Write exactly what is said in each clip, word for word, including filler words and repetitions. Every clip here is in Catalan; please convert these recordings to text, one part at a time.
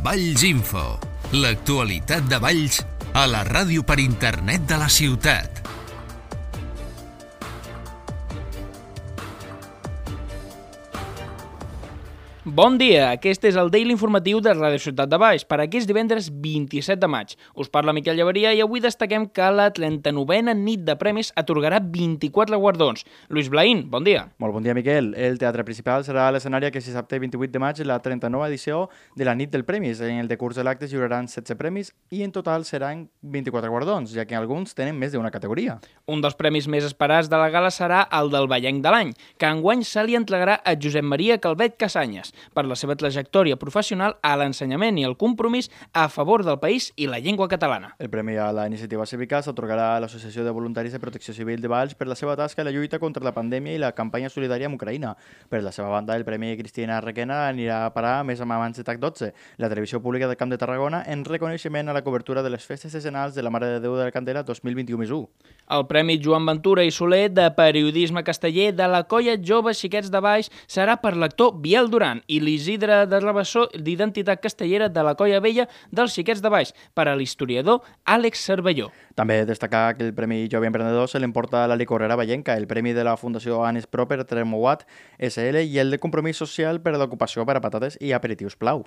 Valls Info, l'actualitat de Valls a la ràdio per internet de la ciutat. Bon dia, aquest és el Daily Informatiu de Ràdio Ciutat de Valls per aquest divendres vint-i-set de maig. Us parla Miquel Llaveria i avui destaquem que la trenta-novena nit de premis atorgarà vint-i-quatre guardons. Lluís Blaín, bon dia. Molt bon dia, Miquel. El Teatre Principal serà l'escenari aquest dissabte vint-i-vuit de maig la trenta-nova edició de la nit del premis. En el decurs de l'acte es lliuraran setze premis i en total seran vint-i-quatre guardons, ja que alguns tenen més d'una categoria. Un dels premis més esperats de la gala serà el del Vallenc de l'any, que enguany se li entregarà a Josep Maria Calvet Casanyes per la seva trajectòria professional a l'ensenyament i el compromís a favor del país i la llengua catalana. El premi a la iniciativa cívica s'atorgarà a l'Associació de Voluntaris de Protecció Civil de Valls per la seva tasca en la lluita contra la pandèmia i la campanya solidària amb Ucraïna. Per la seva banda, el Premi Cristina Requena anirà a parar més amb abans de TAC dotze, la televisió pública del Camp de Tarragona, en reconeixement a la cobertura de les festes decenals de la Mare de Déu de la Candela dos mil vint-i-u més u. El Premi Joan Ventura i Soler de Periodisme Casteller de la Colla Joves Xiquets de Valls serà per l'actor Biel Duran i l'Isidre de Rabassó d'Identitat Castellera de la Colla Vella dels Xiquets de Valls per a l'historiador Àlex Cervelló. També destacar que el Premi Jove Emprenedor se l'emporta la licorera vallenca, el Premi de la Fundació Anes Proper Termowat S L i el de Compromís Social per a l'ocupació per a patates i aperitius Plau.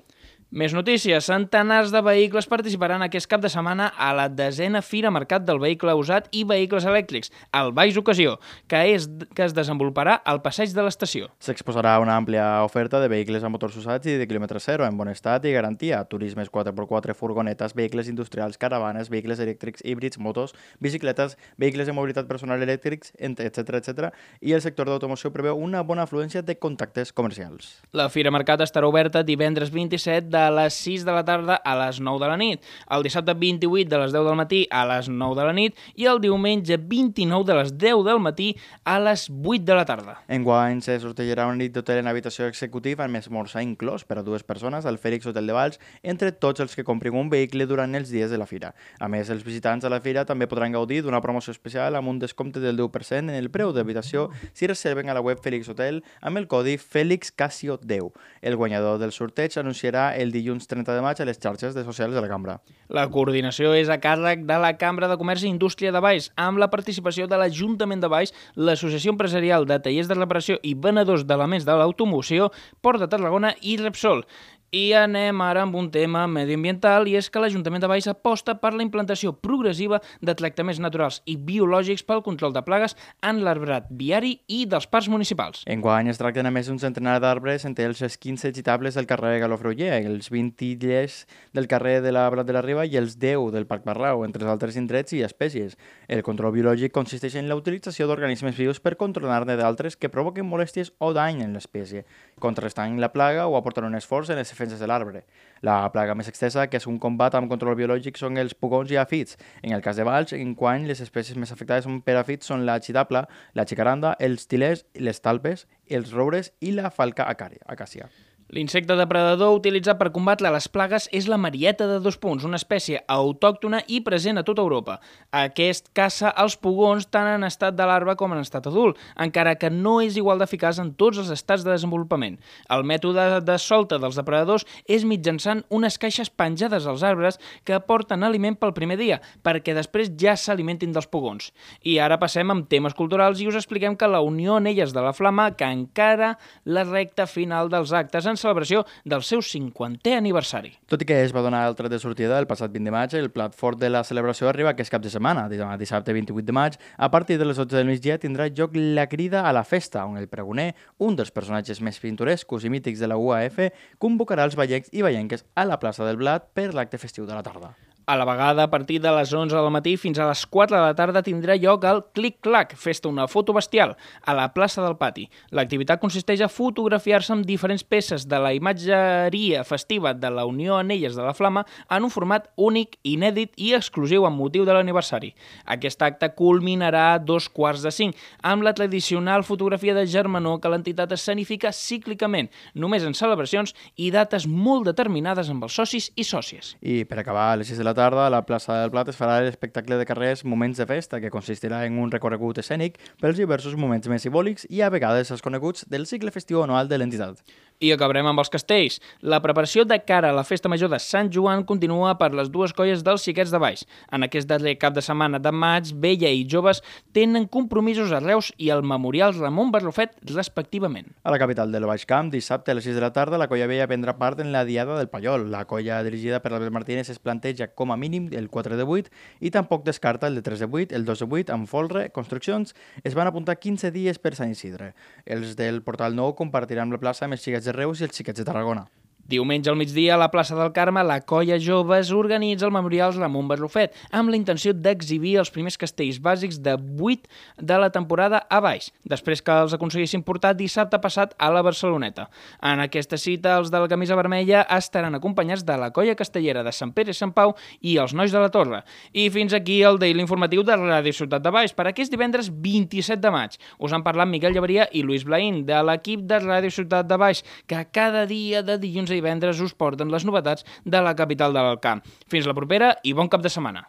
Més notícies. Centenars de vehicles participaran aquest cap de setmana a la desena Fira Mercat del Vehicle Usat i Vehicles Elèctrics, el Valls Ocasió, que, és, que es desenvoluparà al passeig de l'estació. S'exposarà una àmplia oferta de vehicles a motors usats i de quilòmetre zero, en bon estat i garantia, turismes quatre per quatre, furgonetes, vehicles industrials, caravanes, vehicles elèctrics, híbrids, motos, bicicletes, vehicles de mobilitat personal elèctrics, etcètera, etcètera, i el sector d'automoció preveu una bona afluència de contactes comercials. La Fira Mercat estarà oberta divendres vint-i-set de les sis de la tarda a les nou de la nit, el dissabte vint-i-vuit de les deu del matí a les nou de la nit i el diumenge vint-i-nou de les deu del matí a les vuit de la tarda. Enguany se sortejarà una nit d'hotel en habitació executiva amb esmorzar inclòs per a dues persones al Fèlix Hotel de Valls entre tots els que comprin un vehicle durant els dies de la fira. A més, els visitants a la fira també podran gaudir d'una promoció especial amb un descompte del deu per cent en el preu d'habitació si reserven a la web Fèlix Hotel amb el codi Fèlix Casio deu. El guanyador del sorteig anunciarà el dilluns trenta de maig a les xarxes de socials de la cambra. La coordinació és a càrrec de la Cambra de Comerç i Indústria de Valls, amb la participació de l'Ajuntament de Valls, l'Associació Empresarial de Tallers de Reparació i Venedors d'Elements de l'Automoció, Port de Tarragona i Repsol. I anem ara amb un tema medioambiental i és que l'Ajuntament de Valls aposta per la implantació progressiva de tractaments naturals i biològics pel control de plagues en l'arbrat viari i dels parcs municipals. Enguany es tracten a més d'un centenar d'arbres entre els quinze gitables del carrer Galofreuller, els vint illers del carrer de la Brat de la Riba i els deu del Parc Barrau, entre els altres indrets i espècies. El control biològic consisteix en la utilització d'organismes vius per controlar-ne d'altres que provoquen molèsties o dany en l'espècie, contrastant la plaga o aportant un esforç en les defenses de l'arbre. La plaga més extensa, que és un combat amb control biològic, són els pugons i afits. En el cas de Valls, enguany les espècies més afectades per afits són la xitapla, la xicaranda, els tilers, les talpes, els roures i la falca acàcia. L'insecte depredador utilitzat per combatre les plagues és la marieta de dos punts, una espècie autòctona i present a tota Europa. Aquest caça els pugons tant en estat de larva com en estat adult, encara que no és igual d'eficaç en tots els estats de desenvolupament. El mètode de solta dels depredadors és mitjançant unes caixes penjades als arbres que aporten aliment pel primer dia, perquè després ja s'alimentin dels pugons. I ara passem amb temes culturals i us expliquem que la Unió Anelles de la Flama que encara la recta final dels actes en celebració del seu cinquantè aniversari. Tot i que es va donar el tret de sortida el passat vint de maig, el plat fort de la celebració arriba aquest cap de setmana. Dissabte vint-i-vuit de maig, a partir de les dotze del migdia, tindrà lloc la Crida a la Festa, on el pregoner, un dels personatges més pintorescos i mítics de la U A F, convocarà els vallencs i vallenques a la plaça del Blat per l'acte festiu de la tarda. A la vegada, a partir de les onze del matí fins a les quatre de la tarda tindrà lloc el Clic-Clac, festa una foto bestial, a la plaça del Pati. L'activitat consisteix a fotografiar-se amb diferents peces de la imatgeria festiva de la Unió Anelles de la Flama en un format únic, inèdit i exclusiu amb motiu de l'aniversari. Aquest acte culminarà a dos quarts de cinc, amb la tradicional fotografia de germanor que l'entitat escenifica cíclicament, només en celebracions i dates molt determinades amb els socis i sòcies. I per acabar, a les sis de la tarda, a la plaça del Plat es farà l'espectacle de carrers Moments de Festa, que consistirà en un recorregut escènic pels diversos moments més simbòlics i a vegades els coneguts del cicle festiu anual de l'entitat. I acabarem amb els castells. La preparació de cara a la festa major de Sant Joan continua per les dues colles dels Xiquets de Baix. En aquest darrer cap de setmana de maig, Vella i Joves tenen compromisos a Reus i al Memorial Ramon Barrufet, respectivament. A la capital del Baix Camp, dissabte a les sis de la tarda, la colla Vella prendrà part en la Diada del Pallol. La colla dirigida per Albert Martínez es planteja com a mínim el quatre de vuit i tampoc descarta el de tres de vuit, el dos de vuit, amb folre, construccions. Es van apuntar quinze dies per Sant Isidre. Els del Portal Nou compartiran la plaça amb els Xiquets de Reus i els Xiquets de Tarragona. Diumenge al migdia, a la plaça del Carme, la colla Joves organitza el Memorial Ramon Barrufet amb la intenció d'exhibir els primers castells bàsics de vuit de la temporada a baix, després que els aconseguissin portar dissabte passat a la Barceloneta. En aquesta cita, els de la camisa vermella estaran acompanyats de la colla castellera de Sant Pere i Sant Pau i els nois de la Torre. I fins aquí el Daily informatiu de Ràdio Ciutat de Baix per aquest divendres vint-i-set de maig. Us han parlat Miquel Llaveria i Lluís Blaín, de l'equip de Ràdio Ciutat de Baix, que cada dia de dilluns a divendres us porten les novetats de la capital de l'Alt Camp. Fins la propera i bon cap de setmana.